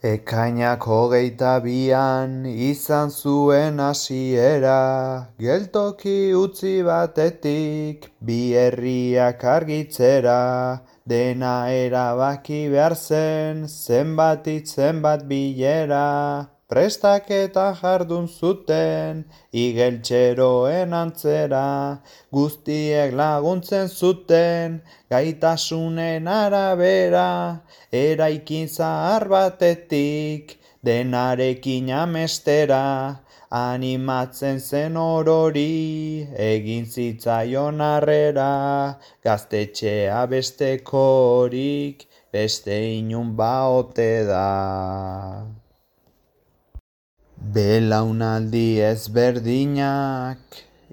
Ekainak 22an izan zuen hasiera, geltoki utzi batetik bi herriak argitzera, dena erabaki behar zen, zenbat hitz zenbat bilera, prestaketa jardun zuten, igeltxeroen antzera, guztiek laguntzen zuten, gaitasunen arabera, eraikin zahar batetik, denarekin amestera, animatzen zen orori, egin zitzaion harrera, gaztetxea bestekorik, beste inun baote da. Belaunaldi ezberdinak,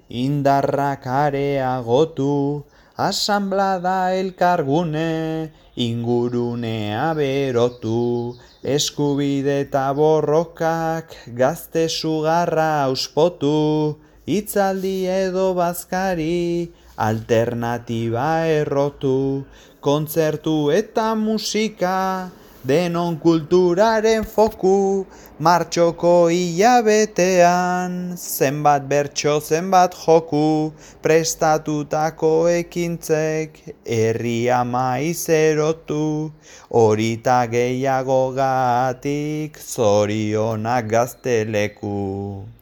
indarrak areagotu, asanblada elkargune, ingurunea berotu, eskubide eta borrokak, gazte sugarra auspotu, hitzaldi edo bazkari, alternatiba errotu, kontzertu eta musika, denon kulturaren foku, martxoko hilabetean, zenbat bertso zenbat joku, prestatutako ekintzek, herria maiz erotu, horita gehiagogatik, zorionak Gazteleku.